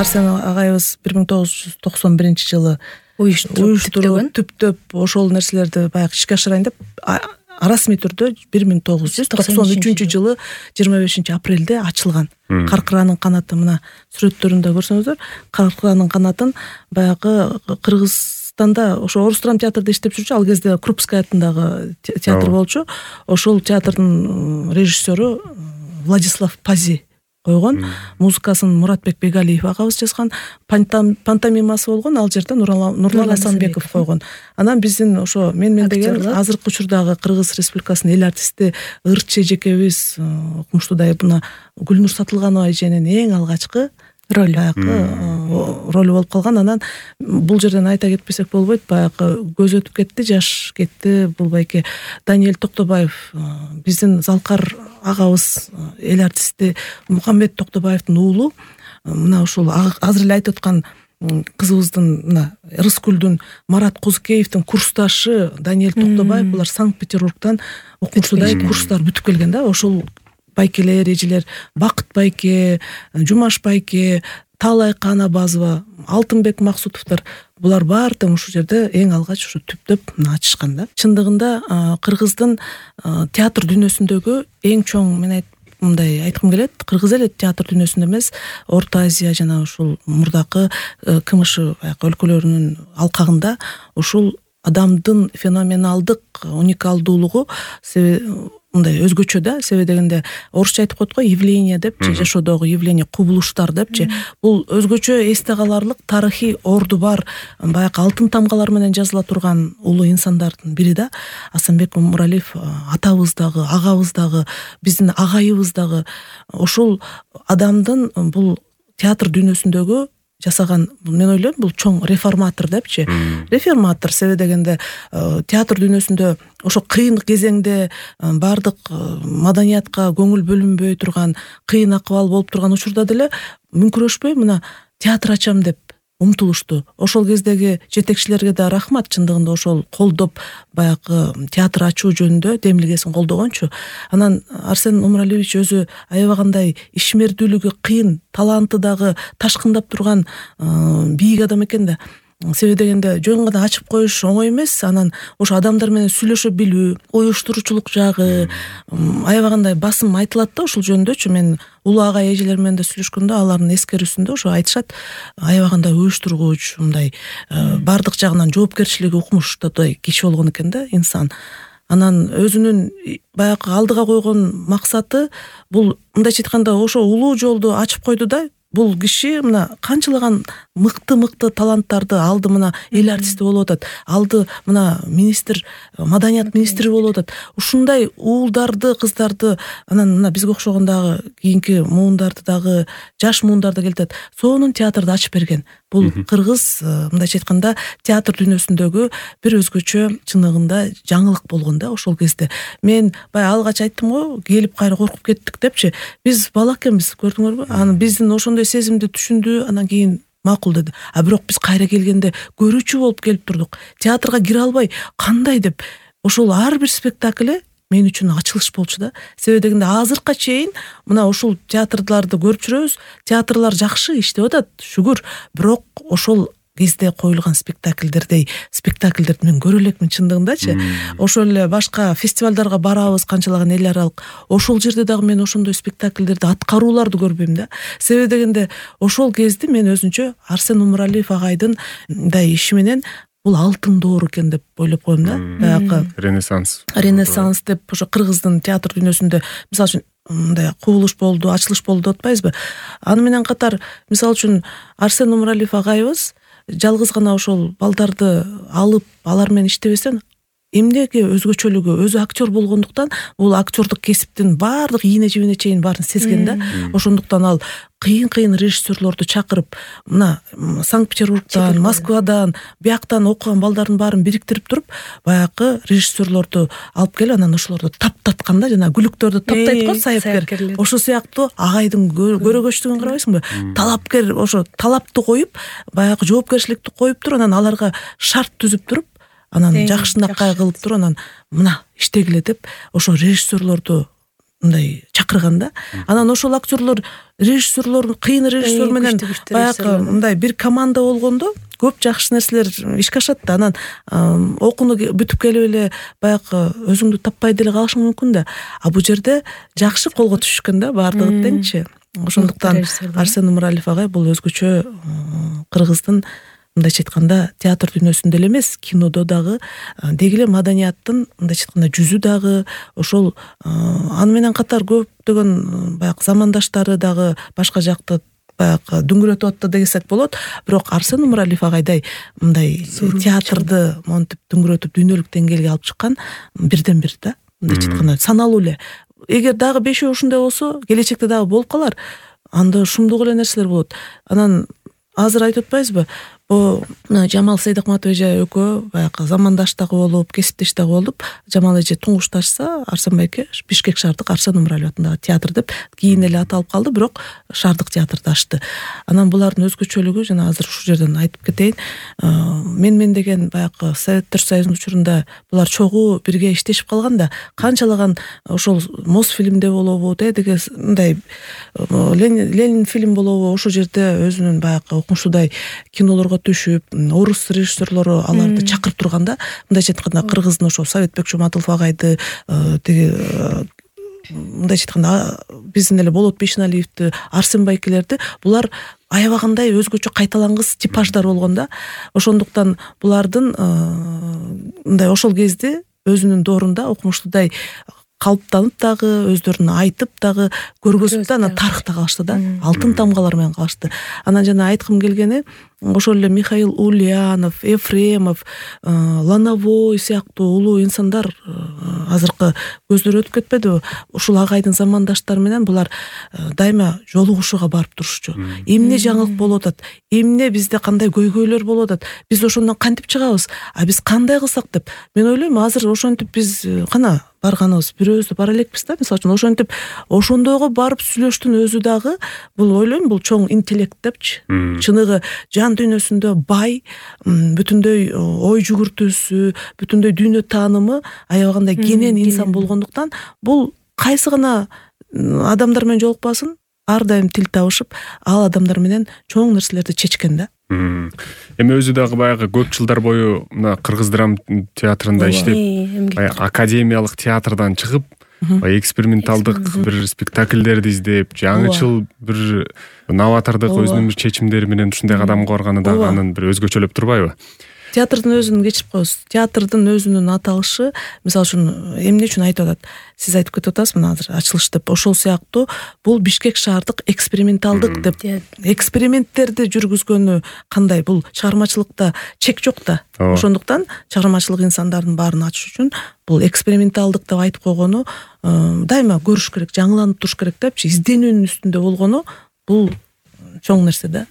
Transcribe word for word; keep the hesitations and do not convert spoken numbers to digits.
Арсен агайыбыз бир миң тогуз жүз токсон биринчи жылы уюштуруп түптөп ошол нерселерди баягы ишке ашырайын деп расмий түрдө бир миң тогуз жүз токсон үчүнчү жылы жыйырма бешинчи апрелде ачылган. Каркыранын канаты мына сүрөттөрүндө көрсөңүздөр, Каркыранын канатын баягы Кыргызстанда ошо Орус драма театрда иштеп жүрчү, ал кезде Крупская атындагы театр болчу. Ошол театрдын режиссеру Владислав Пази койгон. Музыкасын Муратбек Бегалиев агабыз жазган. Пантомимасы болгон, ал жерде Нурлан Асанбеков койгон. Анан биздин ошо мен мен деген азыркы учурдагы Кыргыз Республикасынын эл артисти Ырчы эжекебиз укмуштуудай мына Гүлнур Сатылганова эженин эң алгачкы роль баягы роль болуп калган. Анан бул жерден айта кетпесек болбойт, баягы көз өтүп кетти, жаш кетти. Бул байке Даниэль Токтобаев, биздин Залкар агабыз эл артисти Мухаммед Токтобаевдин уулу. Мына ушул азыр эле айтып аткан кызыбыздын мына Рыскүлдүн Марат Козукеевдин курсташы Даниэль Токтобаев, булар Санкт-Петербургдан укмуштуудай курстар бүтүп келген да. Ошол байкелер, эжелер Бакыт байке, Жумаш байке, Таалай Канабазова, Алтынбек Максутовдор, булар баары тең ушул жерде эң алгач ушу түптөп ачышкан да. Чындыгында Кыргыздын театр дүйнөсүндөгү эң чоң, мен мындай айткым келет, Кыргыз эле театр дүйнөсүндө эмес, Орто Азия жана ушул мурдакы КМШ өлкөлөрүнүн алкагында ушул адамдын феноменалдык уникалдуулугу мындай өзгөчө да. Себеби дегенде орусча айтып коет го, явление депчи, жашоодогу явление, кубулуштар депчи. Бул өзгөчө эсте каларлык тарыхый орду бар, баягы алтын тамгалар менен жазыла турган улуу инсандардын бири да. Асанбек Муралиев атабыздагы, агабыздагы, биздин агайыбыздагы ошол адамдын бул театр дүйнөсүндөгү жасаган, мен ойлойм, бул чоң реформатор депчи. Реформатор себеби дегенде театр дүйнөсүндө ошо кыйын кезеңде бардык маданиятка көңүл бөлүнбөй турган, кыйын акыбал болуп турган учурда деле мүңкүрөшпөй мына театр ачам деп умтулушту. Ошол кездеги жетекчилерге да рахмат, чындыгында ошол колдоп баягы театр ачуу жөнүндө демилгесин колдогончу. Анан Арсен Умаралиевич өзү аябагандай ишмердүүлүгү кыйын, таланты дагы ташкындап турган бийик адам экен да. Себеби дегенде жөн гана ачып коюш оңой эмес. Анан ошо адамдар менен сүйлөшө билүү, уюштуруучулук жагы аябагандай басым айтылат да ошол жөнүндөчү. Мен улуу агай эжелер менен да сүйлөшкөндө алардын эскерүүсүндө ошо айтышат, аябагандай уюштургуч, мындай бардык жагынан жоопкерчилиги укмуштуудай киши болгон экен да инсан. Анан өзүнүн баягы алдыга койгон максаты бул, мындайча айтканда, ошо улуу жолду ачып койду да. Бул киши мына канчалаган мыкты-мыкты таланттарды алды, мына эл артисти болуп атат, алды мына министр, маданият министри болуп атат. Ушундай уулдарды, кыздарды, анан мына бизге окшогон дагы кийинки муундарды дагы, жаш муундарды келтет. Сонун театрды ачып берген. Бул Кыргыз, мындайча айтканда, театр дүйнөсүндөгү бир өзгөчө чыныгында жаңылык болгон да ошол кезде. Мен бая алгач айттым го, келип кайра коркуп кеттик депчи. Биз бала экенбиз, көрдүңөрбү? Анан биздин ошондой сезимди түшүндү, анан кийин макул деди. А бирок биз кайра келгенде көрүүчү болуп келип турдук. Театрга кире албай кандай деп. Ошол ар бир спектакль мен үчүн ачылыш болчу да. Себеби дегенде азыркыга чейин мына ушул театрларды көрүп жүрөбүз. Театрлар жакшы иштеп атат, шүгүр. Бирок ошол кезде коюлган спектакльдердей спектакльдерди мен көрө элекмин чындыгындачы. Ошол эле башка фестивалдарга барабыз, канчалаган эл аралык. Ошол жерде дагы мен ошондой спектакльдерди, аткарууларды көрбөйм да. Себеби дегенде ошол кезде мен өзүнчө Арсен Умаралиев агайдын мындай иши менен бул алтын доор экен деп ойлоп коем да. Баягы Ренессанс. Ренессанс деп ошо Кыргыздын театр дүйнөсүндө мисалы үчүн мындай кубулуш болду, ачылыш болду деп атпайбызбы? Аны менен катар мисалы үчүн Арсен Умаралиев агайыбыз жалгыз гана ошол балдарды алып, алар менен иштебесен, эмнеге өзгөчөлүгү, өзү актер болгондуктан бул актердук кесиптин баардык ийне жибине чейин баарын сезген да. Ошондуктан ал кыйын-кыйын режиссерлорду чакырып, мына Санкт-Петербургдан, Москвадан, бияктан окуган балдардын баарын бириктирип туруп, баягы режиссерлорду алып келип, анан ошолорду таптаткан да, жана гүлүктөрдү таптайт го сайыпкер. Ошо сыяктуу агайдын көрөгөчтүгүн карабайсыңбы? Талапкер, ошо талапты коюп, баягы жоопкерчиликти коюп туруп, анан аларга шарт түзүп туруп, анан жакшынакай кылып туруп, анан мына иштегиле деп ошо режиссерлорду мындай чакырган да. Анан ошол актерлор, режиссерлор, кыйын режиссер менен баягы мындай бир команда болгондо көп жакшы нерселер ишке ашат да. Анан окууну бүтүп келип эле баягы өзүңдү таппай деле калышың мүмкүн да. А бул жерде жакшы колго түшүшкөн да баардыгы теңчи. Ошондуктан Арсен Умаралиев агай бул өзгөчө кыргыздын мындайча айтканда театр дүйнөсүндө эле эмес, кинодо дагы деги эле маданияттын мындайча айтканда жүзү дагы, ошол аны менен катар көптөгөн баягы замандаштары дагы башка жакты баягы дүңгүрөтүп атты десек болот. Бирок Арсен Умаралиев агайдай мындай театрды монтип дүңгүрөтүп дүйнөлүк деңгээлге алып чыккан бирден бир да. Мындайча айтканда саналуу эле. Эгер дагы бешөө ушундай болсо, келечекте дагы болуп калар. Анда шумдук эле нерселер болот. Анан азыр айтып атпайбызбы? Бу Жамал Сейдакматов эже экөө баягы замандаш дагы болуп, кесиптеш дагы болуп, Жамал эже туңгушташса, Арсен байке Бишкек шаардык Арсен Умаралиев атындагы театр деп кийин эле аталып калды, бирок шаардык театрды ачты. Анан булардын өзгөчөлүгү жана азыр ушул жерден айтып кетейин. Мен мен деген баягы Советтер Союзунун учурунда булар чогуу бирге иштешип калган да, канчалаган ошол Мосфильмде болобу, деги мындай Ленин фильм болобу, ошол жерде өзүнүн баягы окумуштуудай кинолорго түшүп, орус режиссерлору аларды чакырып турганда, мындайча айтканда кыргыздын ошо Советбек Жуматулов агайды, тиги мындайча айтканда биздин эле Болот Бейшеналиевди, Арсен байкелерди, булар аябагандай өзгөчө кайталангыс типаждар болгон да. Ошондуктан булардын мындай ошол кезде өзүнүн доорунда окумуштуудай калыптанып дагы, өздөрүн айтып дагы көргөзүп да, анан тарыхта калышты да, алтын тамгалар менен калышты. Анан жана айткым келгени, ошол эле Михаил Ульянов, Ефремов, Лановой сыяктуу улуу инсандар азыркы көздөр өтүп кетпедиби? Ушул агайдын замандаштары менен булар дайыма жолугушууга барып турушчу. Эмне жаңылык болуп атат? Эмне бизде кандай көйгөйлөр болуп атат? Биз ошондон кантип чыгабыз? А биз кандай кылсак деп. Мен ойлойм, азыр ошентип биз кана барганыбыз бирөөбүз бара элекпиз да, мисалы үчүн ошентип ошондойго барып сүйлөштүн өзү дагы бул ойлойм, бул чоң интеллект депчи. Чыныгы жан дүйнөсүндө бай, бүтүндөй ой жүгүртүүсү, бүтүндөй дүйнө таанымы аябагандай кенен инсан болгондуктан бул кайсы гана адамдар менен жолукпасын, ар дайым тил табышып, ал адамдар менен чоң нерселерди чечкен да. Эми өзү дагы баягы көп жылдар бою мына Кыргыз драма театрында иштеп, академиялык театрдан чыгып, эксперименталдык бир спектакльдерди издеп, жаңычыл бир новатордук өзүнүн бир чечимдери менен ушундай кадамга барганы дагы анын бир өзгөчөлөп турбайбы? Театрдын өзүн кечирип коебуз. Театрдын өзүнүн аталышы, мисалы үчүн эмне үчүн айтып атат? Сиз айтып кетип атасыз мына азыр ачылыш деп. Ошол сыяктуу бул Бишкек шаардык эксперименталдык деп. Эксперименттерди жүргүзгөнү кандай? Бул чыгармачылыкта чек жок да. Ошондуктан чыгармачылык инсандардын баарын ачыш үчүн бул эксперименталдык деп айтып койгону дайыма көрүш керек, жаңыланып туруш керек депчи, изденүүнүн үстүндө болгону бул чоң нерсе да.